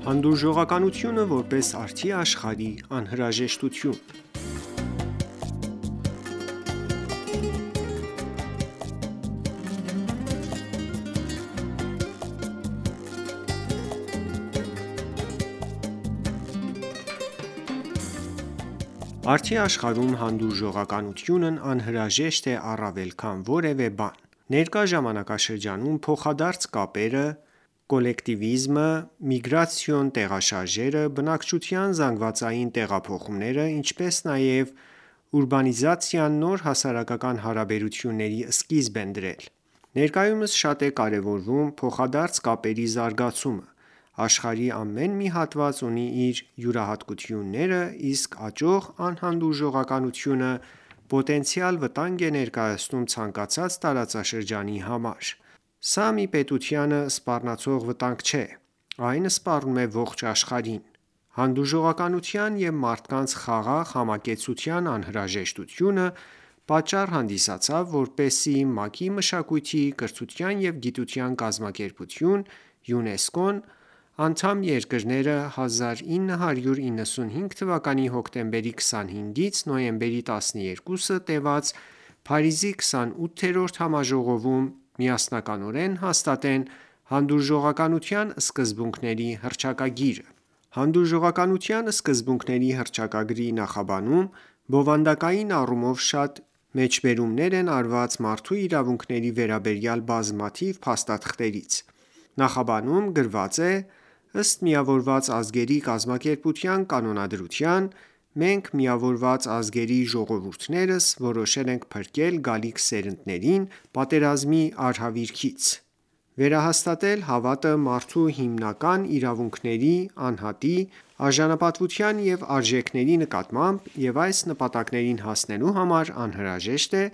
Հանդուրժողականությունը որպես արդի աշխարհի անհրաժեշտություն Արդի աշխարհում հանդուրժողականությունն անհրաժեշտ է առավել քան որևէ բան: Ներկա ժամանակաշրջանում փոխադարձ կապերը, կոլեկտիվիզմը, միգրացիոն տեղաշարժերը, բնակչության զանգվածային տեղափոխումները, ինչպես նաև ուրբանիզացիան նոր հասարակական հարաբերությունների սկիզբ են դրել: Ներկայումս շատ է կարևորվում փոխադարձ կապերի զարգացումը: Աշխարհի ամեն մի հատված ունի իր յուրահատկությունները, իսկ աճող անհանդուրժողականությունը պոտենցիալ վտանգ է ներկայացնում ցանկացած տարածաշրջանի համար: Սա մի պետությանը սպառնացող վտանգ չէ, այն սպառնում է ողջ աշխարհին: Հանդուրժողականության և մարդկանց խաղաղ համակեցության անհրաժեշտությունը պատճառ հանդիսացավ, որպեսզի ՄԱԿ-ի Մշակույթի, կրթության և գիտության կազմակերպություն (ՅՈՒՆԵՍԿՕ)-ն անդամ երկրները 1995 թվականի հոկտեմբերի 25-ից նոյեմբերի 12-ը տևած Փարիզի 28-րդ համաժողովում միասնականորեն հաստատեն Հանդուրժողականության սկզբունքների հռչակագիրը: Հանդուրժողականության սկզբունքների հռչակագրի նախաբանում բովանդակային առումով շատ մեջբերումներ են արված մարդու իրավունքների վերաբերյալ բազմաթիվ փաստաթղթերից: Նախաբանում գրված է. «Ըստ Միավորված ազգերի կազմակերպության կանոնադրության, մենք Միավորված ազգերի ժողովուրդներս որոշել ենք փրկել գալիք սերունդներին պատերազմի արհավիրքից, վերահաստատել հավատը մարդու հիմնական իրավունքների, անհատի, արժանապատվության և արժեքների նկատմամբ և այս նպատակներին հասնելու համար անհրաժեշտ է,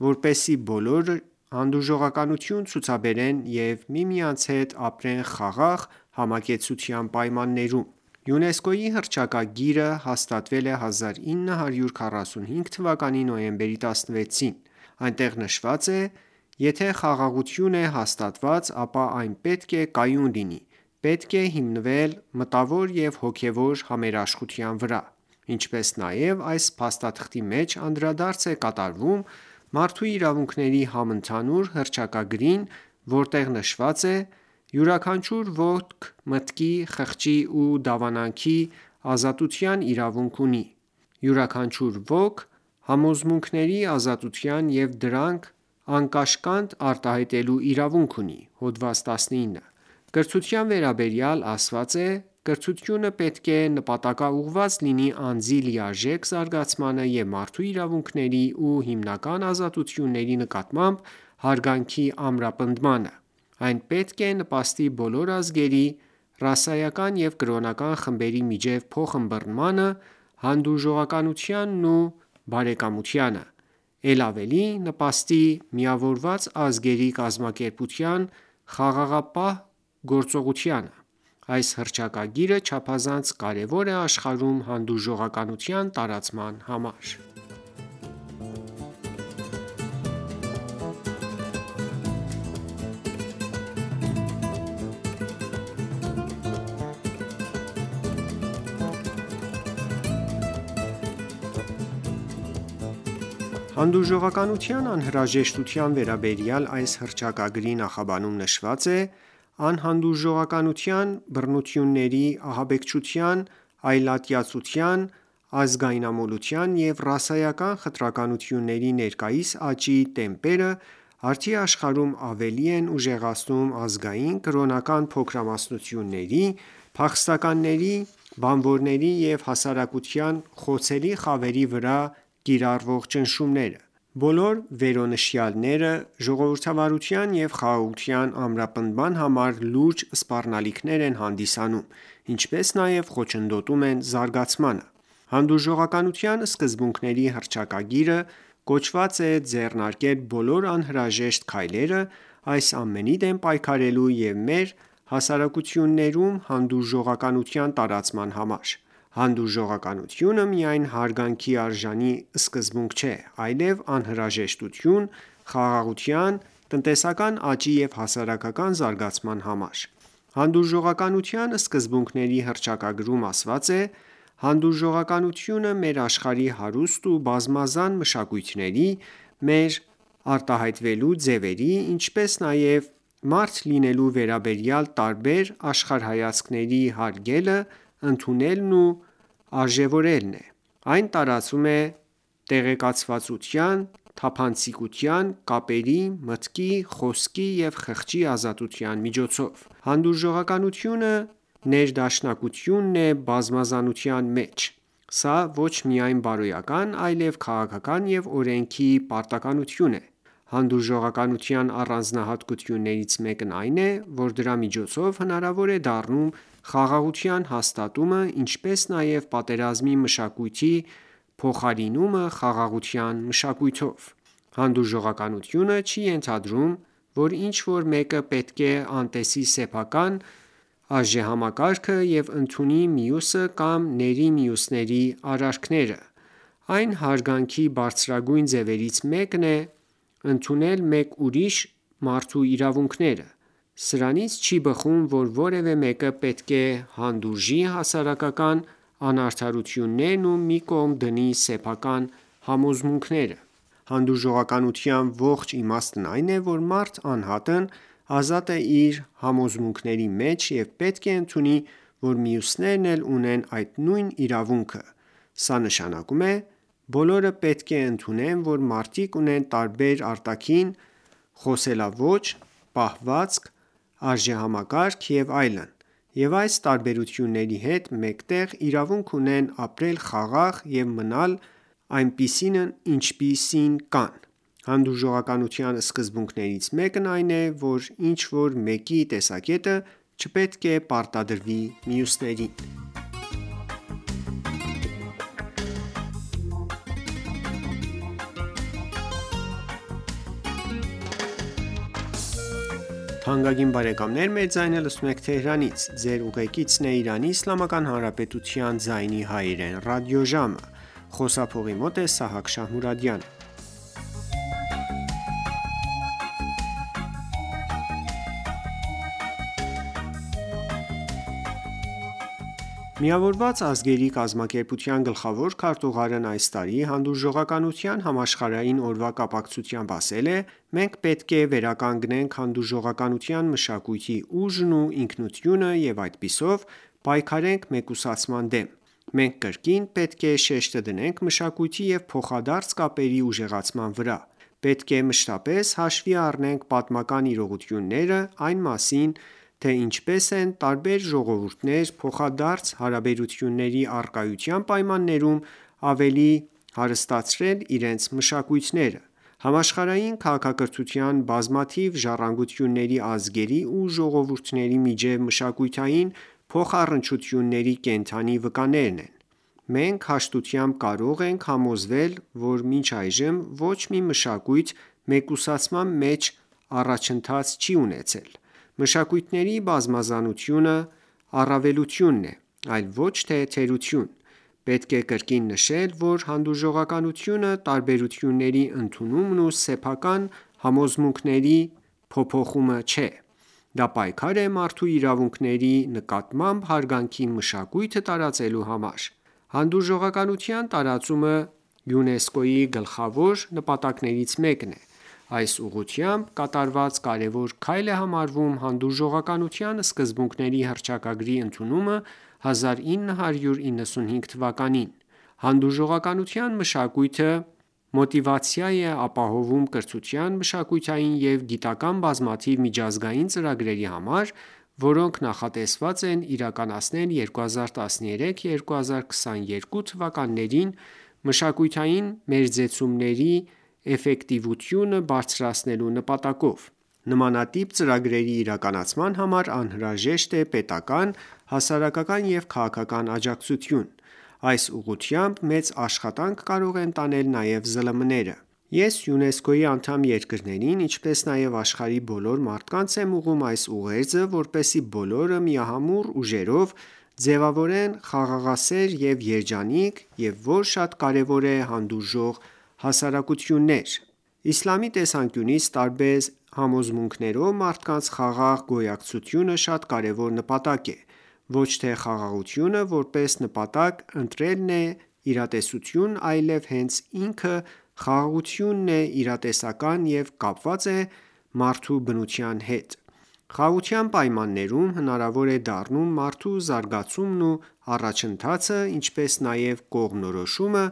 որպեսզի բոլորը հանդուրժողականություն ցուցաբերեն և միմյանց հետ ապրեն խաղաղ համակեցության պայմաններում»: ՅՈՒՆԵՍԿՕ-ի հռչակագիրը հաստատվել է 1945 թվականի նոյեմբերի 16-ին: Այնտեղ նշված է. «Եթե խաղաղություն է հաստատված, ապա այն պետք է կայուն լինի, պետք է հիմնվել մտավոր և հոգևոր համերաշխության վրա»: Ինչպես նաև այս փաստաթղթի մեջ անդրադարձ է կատարվում մարդու իրավունքների համընդհանուր հռչակագրին, որտեղ նշված է. «Յուրաքանչյուր ոք մտքի, խղճի ու դավանանքի ազատության իրավունք ունի: Յուրաքանչյուր ոք համոզմունքների ազատության և դրանք անկաշկանդ արտահայտելու իրավունք ունի»: Հոդված 19 Կրթության վերաբերյալ ասված է. «Կրթությունը պետք է նպատակաուղղված լինի անձի լիարժեք զարգացմանը և մարդու իրավունքների ու հիմնական ազատությունների նկատմամբ հարգանքի ամրապնդմանը: Այն պետք է նպաստի բոլոր ազգերի, ռասայական և կրոնական խմբերի միջև փոխըմբըռնմանը, հանդուրժողականությանն ու բարեկամությանը: Էլ ավելի նպաստի Միավորված ազգերի կազմակերպության խաղաղապահ գործողությանը: Այս հռչակագիրը չափազանց կարևոր է աշխարհում հանդուրժողականության տարածման համար»: Հանդուրժողականության անհրաժեշտության վերաբերյալ այս հռչակագրի նախաբանում նշված է. «Անհանդուրժողականության, բռնությունների, ահաբեկչության, այլատյացության, ազգայնամոլության և ռասայական խտրականությունների ներկայիս աճի տեմպերը արդի աշխարհում ավելի են ուժեղացնում ազգային կրոնական փոքրամասնությունների, փախստականների, բանվորների և հասարակության խոցելի խավերի վրա կիրառվող ճնշումները: Բոլոր վերոնշյալները ժողովրդավարության և խաղաղության ամրապնդման համար լուրջ սպառնալիքներ են հանդիսանում, ինչպես նաև խոչընդոտում են զարգացմանը: Հանդուրժողականության սկզբունքների հռչակագիրը կոչված է ձեռնարկել բոլոր անհրաժեշտ քայլերը այս ամենի դեմ պայքարելու և մեր հասարակություններում հանդուրժողականության տարածման համար: Հանդուրժողականությունը միայն հարգանքի արժանի սկզբունք չէ, այլև անհրաժեշտություն՝ խաղաղության, տնտեսական աճի և հասարակական զարգացման համար: Հանդուրժողականության սկզբունքների հռչակագրում ասված է. «Հանդուրժողականությունը մեր աշխարհի հարուստ ու բազմազան մշակույթների, մեր արտահայտվելու ձևերի, ինչպես նաև մարդ լինելու վերաբերյալ տարբեր աշխարհայացքների հարգելը, ընդունելն ու արժևորելն է: Այն տարածվում է տեղեկացվածության, թափանցիկության, կապերի, մտքի, խոսքի և խղճի ազատության միջոցով: Հանդուրժողականությունը ներդաշնակությունն է բազմազանության մեջ: Սա ոչ միայն բարոյական, այլև քաղաքական և օրենքի պարտականություն է: Հանդուրժողականության առանձնահատկություններից մեկն այն է, որ դրա միջոցով հնարավոր է դառնում խաղաղության հաստատումը, ինչպես նաև պատերազմի մշակույթի փոխարինումը խաղաղության մշակույթով: Հանդուրժողականությունը չի ենթադրում, որ ինչ-որ մեկը պետք է անտեսի սեփական արժեհամակարգը և ընդունի մյուսը կամ ների մյուսների արարքները: Այն հարգանքի բարձրագույն ձևերից մեկն է ընդունել մեկ ուրիշ մարդու իրավունքները: Սրանից չի բխում, որ որևէ մեկը պետք է հանդուրժի հասարակական անարդարություններն ու մի կողմ դնի սեփական համոզմունքները: Հանդուրժողականության ողջ իմաստն այն է, որ մարդ անհատն ազատ է իր համոզմունքների մեջ և պետք է ընդունի, որ մյուսներն էլ ունեն այդ նույն իրավունքը: Սա նշանակում է. բոլորը պետք է ընդունեն, որ մարդիկ ունեն տարբեր արտաքին խոսելաոճ, պահվածք, արժեհամակարգ և այլն, և այս տարբերությունների հետ մեկտեղ իրավունք ունեն ապրել խաղաղ և մնալ այնպիսին ինչպիսին կան: Հանդուրժողականության սկզբունքներից մեկն այն է, որ ինչ-որ մեկի տեսակետը չպետք է պարտադրվի մյուսներին: Միավորված ազգերի կազմակերպության գլխավոր քարտուղարն այս տարի Հանդուրժողականության համաշխարհային օրվա կապակցությամբ ասել է. «Մենք պետք է վերականգնենք հանդուրժողականության մշակույթի ուժն ու ինքնությունը և այդպիսով պայքարենք մեկուսացման դեմ: Մենք կրկին պետք է շեշտը դնենք մշակույթի և փոխադարձ կապերի ուժեղացման վրա: Պետք է մշտապես հաշվի առնենք պատմական իրողությունները այն մասին, թե ինչպես են տարբեր ժողովուրդներ փոխադարձ հարաբերությունների առկայության պայմաններում ավելի հարստացրել իրենց մշակույթները: Համաշխարհային քաղաքակրթության բազմաթիվ ժառանգությունների ազգերի ու ժողովուրդների միջև մշակութային փոխառընչությունների կենդանի վկաներն են: Մենք հաշտությամբ կարող ենք համոզվել, որ մինչ այժմ ոչ մի մշակույթ մեկուսացման մեջ առաջընթաց չի ունեցել: Մշակույթների բազմազանությունը առավելություն է, այլ ոչ թե թերություն: Պետք է կրկին նշել, որ հանդուրժողականությունը տարբերությունների ընդունումն ու սեփական համոզմունքների փոփոխումը չէ: Դա պայքար է մարդու իրավունքների նկատմամբ հարգանքի մշակույթը տարածելու համար: Հանդուրժողականության տարածումը ՅՈՒՆԵՍԿՕ-ի գլխավոր նպատակներից մեկն է: Այս ուղղությամբ կատարված կարևոր քայլ է համարվում Հանդուրժողականության սկզբունքների հռչակագրի ընդունումը 1995 թվականին: Հանդուրժողականության մշակույթը մոտիվացիա է ապահովում կրթության, մշակութային և գիտական բազմաթիվ միջազգային ծրագրերի համար, որոնք նախատեսված են իրականացնել 2013-2022 թվականներին մշակութային մերձեցումների էֆեկտիվությունը բարձրացնելու նպատակով: Նմանատիպ ծրագրերի իրականացման համար անհրաժեշտ է պետական, հասարակական և քաղաքական աջակցություն: Այս ուղղությամբ մեծ աշխատանք կարող են տանել նաև ԶԼՄ-ները: Ես ՅՈՒՆԵՍԿՕ-ի անդամ երկրներին, ինչպես նաև աշխարհի բոլոր մարդկանց եմ ուղղում այս ուղերձը, որպեսզի բոլորը միամուռ ուժերով ձևավորեն խաղաղասեր և երջանիկ և որ շատ կարևոր է հանդուրժող հասարակություններ: Իսլամի տեսանկյունից տարբեր համոզմունքներով մարդկանց խաղաղ գոյակցությունը շատ կարևոր նպատակ է: Ոչ թե խաղաղությունը որպես նպատակ ընտրելն է իրատեսություն, այլև հենց ինքը խաղաղությունն է իրատեսական և կապված է մարդու բնության հետ: Խաղաղության պայմաններում հնարավոր է դառնում մարդու զարգացումն ու առաջընթացը, ինչպես նաև կողմնորոշումը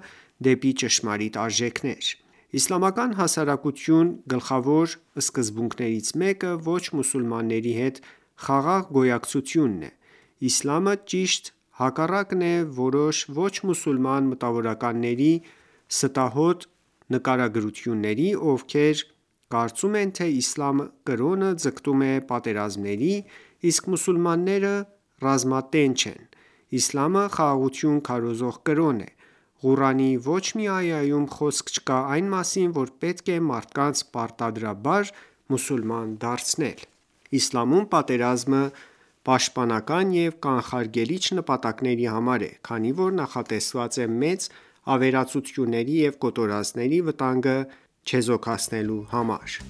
դեպի ճշմարիտ արժեքներ: Իսլամական հասարակության գլխավոր սկզբունքներից մեկը ոչ մուսուլմանների հետ խաղաղ գոյակցությունն է: Իսլամը ճիշտ հակառակն է որոշ ոչ մուսուլման մտավորականների ստահոդ նկարագրությունների, ովքեր կարծում են, թե իսլամ կրոնը ձգտում է պատերազմների, իսկ մուսուլմանները ռազմատենչ են: Իսլամը խաղաղություն քարոզող կրոն է: Ղուրանի ոչ մի այայում խոսք չկա այն մասին, որ պետք է մարդկանց պարտադրաբար մուսուլման դարձնել: Իսլամում պատերազմը պաշտպանական և կանխարգելիչ նպատակների համար է, քանի որ նախատեսված է մեծ ավերածությունների և կոտորածների վտանգը չեզոքացնելու համար: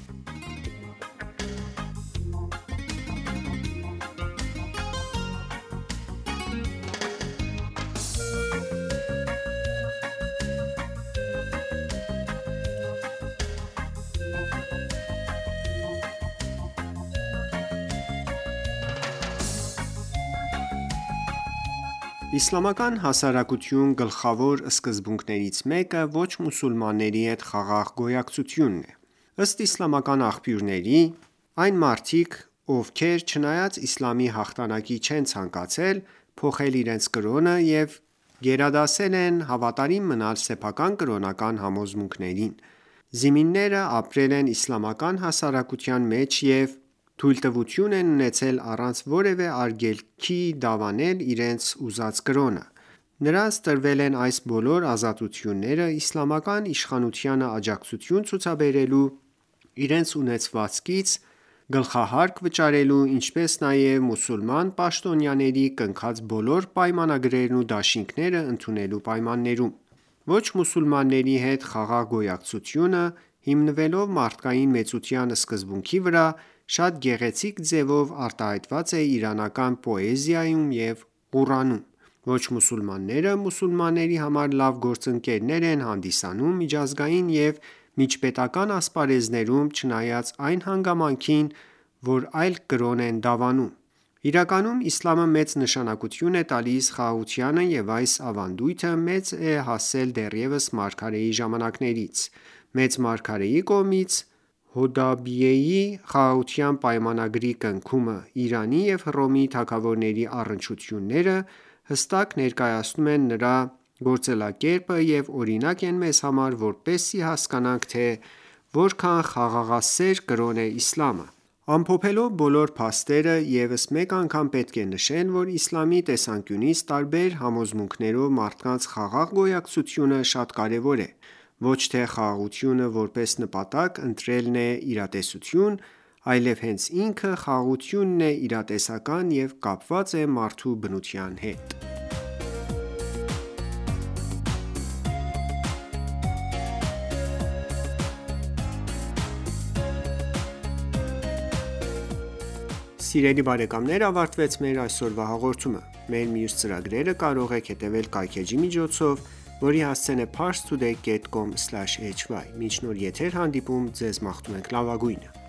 Իսլամական հասարակության գլխավոր սկզբունքներից մեկը ոչ մուսուլմանների հետ խաղաղ գոյակցությունն է: Ըստ իսլամական աղբյուրների, այն մարդիկ, ովքեր չնայած իսլամի հաղթանակի չեն ցանկացել փոխել իրենց կրոնը և գերադասել են հավատարիմ մնալ սեփական կրոնական համոզմունքներին: Զիմինները ապրել են իսլամական հասարակության մեջ և թույլտվություն են ունեցել առանց որևէ արգելքի դավանել իրենց ուզած կրոնը: Նրանց տրվել են այս բոլոր ազատությունները իսլամական իշխանությանը աջակցություն ցուցաբերելու, իրենց ունեցվածքից գլխահարկ վճարելու, ինչպես նաև մուսուլման պաշտոնյաների կնքած բոլոր պայմանագրերն ու դաշինքները ընդունելու պայմաններում: Ոչ մուսուլմանների հետ խաղաղ գոյակցությունը, հիմնվելով մարդկային մեծության սկզբունքի վրա, շատ գեղեցիկ ձևով արտահայտված է իրանական պոեզիայում և Ղուրանում: Ոչ մուսուլմանները մուսուլմանների համար լավ գործընկերներ են հանդիսանում միջազգային և միջպետական ասպարեզներում, չնայած այն հանգամանքին, որ այլ կրոն են դավանում: Իրականում իսլամը մեծ նշանակություն է տալիս խաղաղությանը և այս ավանդույթը մեծ է հասել դեռևս մարգարեի ժամանակներից: Մեծ մարգարեի կողմից Հոդայբիյեի խաղաղության պայմանագրի կնքումը, Իրանի և Հռոմի թագավորների առնչությունները հստակ ներկայացնում են նրա գործելակերպը և օրինակ են մեզ համար, որպեսզի հասկանանք, թե որքան խաղաղասեր կրոն է իսլամը: Ամփոփելով բոլոր փաստերը, ևս մեկ անգամ պետք է նշել, որ իսլամի տեսանկյունից տարբեր համոզմունքներով մարդկանց խաղաղ գոյակցությունը շատ կարևոր է: Ոչ թե խաղաղությունը որպես նպատակ ընտրելն է իրատեսություն, այլև հենց ինքը խաղաղությունն է իրատեսական և կապված է մարդու բնության հետ: Սիրելի բարեկամներ ավարտվեց մեր այսօրվա հաղորդումը: Մեր մյուս ծրագրերը կարող եք հետևել կայքէջի միջոցով, որի հասցեն է parstoday.com/hy: Մինչ նոր եթեր հանդիպում ձեզ մաղթում ենք լավագույնը: